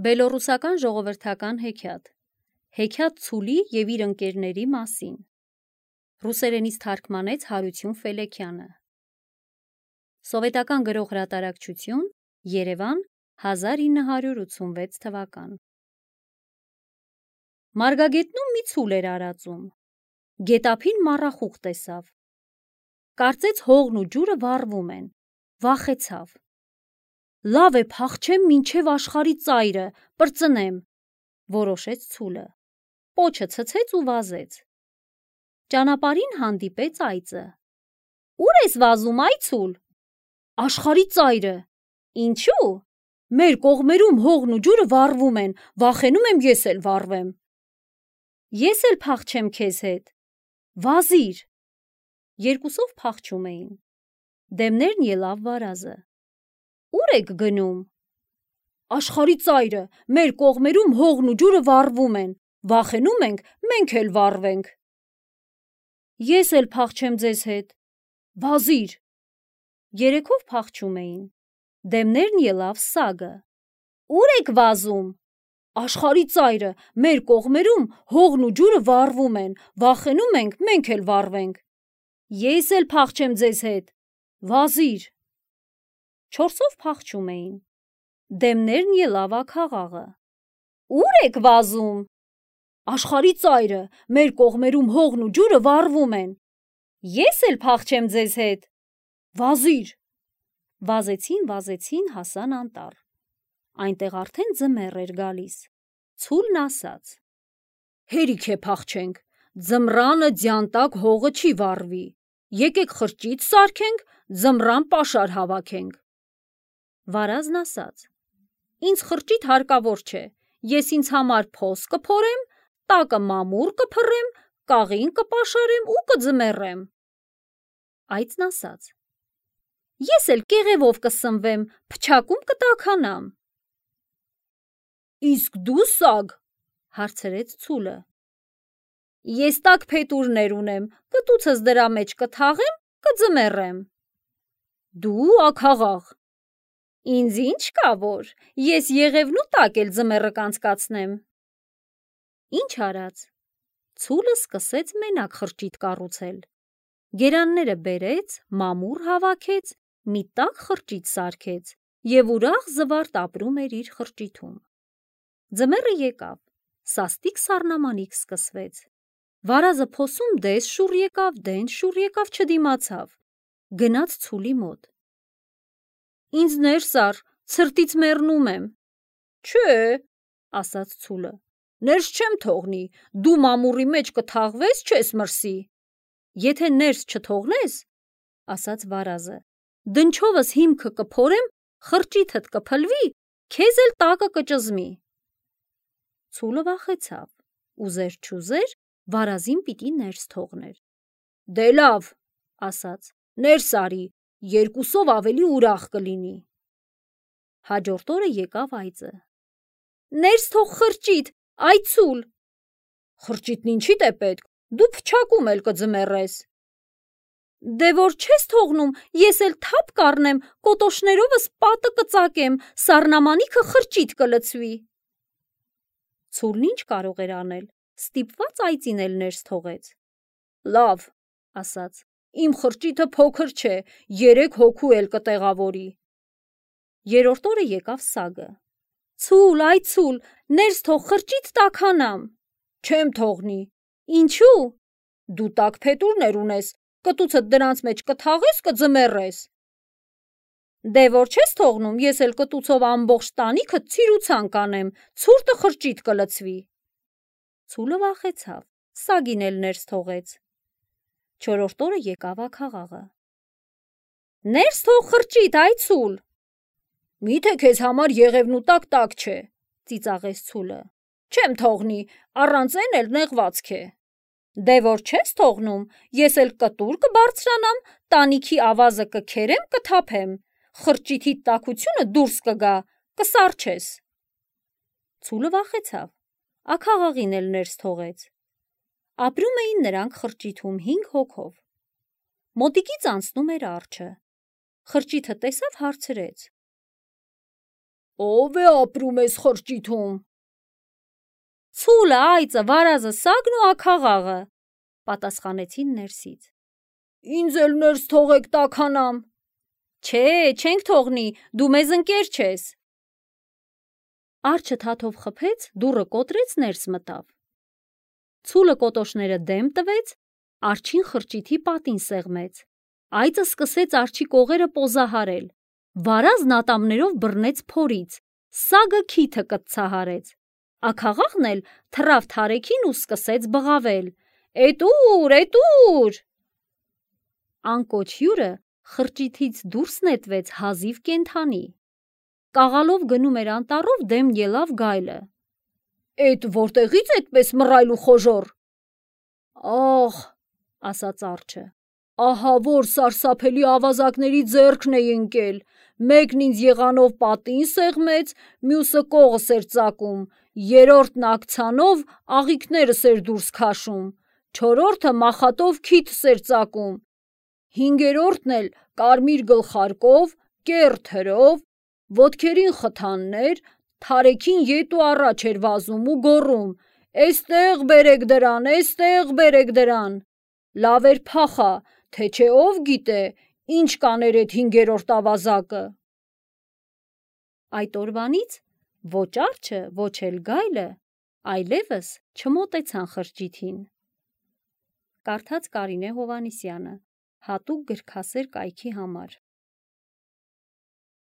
Բելոռուսական ժողովրդական հեքիաթ, հեքիաթ Ցուլի և իր ընկերների մասին, ռուսերենից թարգմանեց Հարություն Ֆելեքյանը, սովետական գրող հրատարակչություն, Երևան, 1986 թվական։ Մարգագետնում մի ցուլ էր արածում, գետափին մառախուղ տեսավ, կարծեց հողն ու ջուրը վառվում են, վախեցավ, լավ է փախչեմ մինչև աշխարհի ծայրը, պրծնեմ, որոշեց ցուլը, պոչը ցցեց ու վազեց, ճանապարհին հանդիպեց այծը, ուր ես վազում այ ցուլ, աշխարհի ծայրը, ինչու, մեր կողմերում հողն ու ջուրը վառվում են, վախենում եմ ես էլ վառվեմ, ես էլ փախչեմ քեզ հետ, վազիր, երկուսով փախչում էին, դեմներն ելավ վարազը, ուր եք գնում, աշխարհի ծայրը, մեր կողմերում հողն ու ջուրը վառվում են, վախենում ենք, մենք էլ վառվենք, ես էլ փախչեմ ձեզ հետ, վազիր, երեքով փախչում էին, դեմներն ելավ սագը, ուր եք վազում, աշխարհի ծայրը, մեր կողմերում հողն ու ջուրը վառվում են, վախենում ենք, մենք էլ վառվենք, ես էլ փախչեմ ձեզ հետ, վազիր, չորսով փախչում էին, դեմներն ելավ աքաղաղը, ուր եք վազում, աշխարհի ծայրը, մեր կողմերում հողն ու ջուրը վառվում են, ես էլ փախչեմ ձեզ հետ, վազիր, վազեցին, հասան անտառ, այնտեղ արդեն ձմեռ էր գալիս, ցուլն ասաց, հերիք է փախչենք, ձմռանը ձյան տակ հողը չի վառվի, եկեք խրճիթ սարքենք, ձմռան պաշար հավաքենք, վարազն ասաց, ինձ խրճիթ հարկավոր չէ, ես ինձ համար փոս կփորեմ, տակը մամուռ կփռեմ, կաղին կպաշարեմ ու կձմեռեմ, այծն ասաց, ես էլ կեղևով կսնվեմ, փչակում կտաքանամ, իսկ դու սագ, հարցրեց ցուլը, ես տաք փետուրներ ունեմ, կտուցս դրա մեջ կթաղեմ, կձմեռեմ, դու աքաղաղ, ինձ ինչ կա որ, ես եղևնու տակ էլ ձմեռը կանցկացնեմ, ինչ արած, ցուլը սկսեց մենակ խրճիթ կառուցել, գերանները բերեց, մամուռ հավաքեց, մի տաք խրճիթ սարքեց և ուրախ զվարթ ապրում էր իր խրճիթում, ձմեռը եկավ, սաստիկ սառնամանիք սկսվեց, վարազը փոսում դես շուռ եկավ, դենց շուռ եկավ, չդիմացավ, գնաց ցուլի մոտ, ինձ ներս առ, ցրտից մեռնում եմ, չէ, ասաց ցուլը, ներս չեմ թողնի, դու մամուռի մեջ կթաղվես, չես մրսի, եթե ներս չթողնես, ասաց վարազը, դնչովս հիմքը կփորեմ, խրճիթդ կփլվի, քեզ էլ տակը կճզմի, ցուլը վախեցավ, ուզեր չուզեր, վարազին պիտի ներս թողներ, դե լավ, ասաց, ներս արի, երկուսով ավելի ուրախ կլինի, հաջորդ օրը եկավ այծը, ներս թող խրճիթ, այ ցուլ, խրճիթն ինչիդ է պետք, դու փչակում էլ կձմեռես, դե որ չես թողնում, ես էլ թափ կառնեմ, կոտոշներովս պատը կծակեմ, սառնամանիքը խրճիթ կլցվի, ցուլն ինչ կարող էր անել, ստիպված այծին էլ ներս թողեց, լավ, ասաց, իմ խրճիթը փոքր չէ, 3 հոգու էլ կտեղավորի, երրորդ օրը եկավ սագը, ցուլ, այ ցուլ, ներս թող խրճիթ տաքանամ, չեմ թողնի, ինչու, դու տաք փետուրներ ունես, կտուցդ դրանց մեջ կթաղես, կձմեռես, դե որ չես թողնում, ես էլ կտուցով ամբողջ տանիքդ ցիրուցան կանեմ, ցուրտը խրճիթ կլցվի, ցուլը վախեցավ, սագին էլ ներս թողեց, չորրորդ օրը եկավ աքաղաղը, ներս թող խրճիթ, այ ցուլ, միթե քեզ համար եղևնու տակ չէ, ծիծաղեց ցուլը, չեմ թողնի, առանց են էլ նեղվածք է, դե որ չես թողնում, ես էլ կտուր կբարձրանամ, տանիքի ավազը կքերեմ, կթափեմ, խրճիթի տաքությունը դուրս կգա, կսառչես, ցուլը վախեցավ, աքաղաղին էլ ներս թողեց, ապրում էին նրանք խրճիթում 5 հոգով, մոտիկից անցնում էր արջը, խրճիթը տեսավ հարցրեց, Ով է ապրում էս խրճիթում։ Ցուլը, այծը, վարազը, սագն ու աքաղաղը, պատասխանեցին ներսից։ Ինձ էլ ներս թողեք տաքանամ։ Չէ, չենք թողնի, դու մեզ ընկեր չես։ Արջը թաթով խփեց, դուռը կոտրեց, ներս մտավ։ Ցուլը կոտոշները դեմ տվեց, արջին խրճիթի պատին սեղմեց։ Այծը սկսեց արջի կողերը պոզահարել, վարազն ատամներով բռնեց փորից, սագը քիթը կտցահարեց, աքաղաղն էլ թռավ թարեքին ու սկսեց բղավել. Էտուր։ Անկոչ հյուրը խրճիթից դուրս նետվեց հազիվ կենդանի։ Կաղալով գնում էր անտառով, դեմ ելավ գայլը։ Էդ որտեղից էդպես մռայլ ու խոժոռ։ Ահ, ասաց արջը, ահա որ սարսափելի ավազակների ձեռքն էի ընկել, մեկն ինձ եղանով պատին սեղմեց, մյուսը կողս էր ծակում, երրորդն աքցանով աղիքներս էր դուրս քաշում, չորրորդը մախատով քիթս էր ծակում, հինգերորդն էլ կարմիր գլխարկով, կեռ թրով, ոտքերին խթաններ, թարեքին ետ ու առաջ էր վազում ու գոռում. Էստեղ բերեք դրան, լավ էր փախա, թե չէ ով գիտե, ինչ կաներ էդ հինգերորդ ավազակը։ Այդ օրվանից ոչ արջը, ոչ էլ գայլը այլևս չմոտեցան խրճիթին։ Կարդաց Կարինե Հովհաննիսյանը, հատուկ գրքասեր կայքի համար։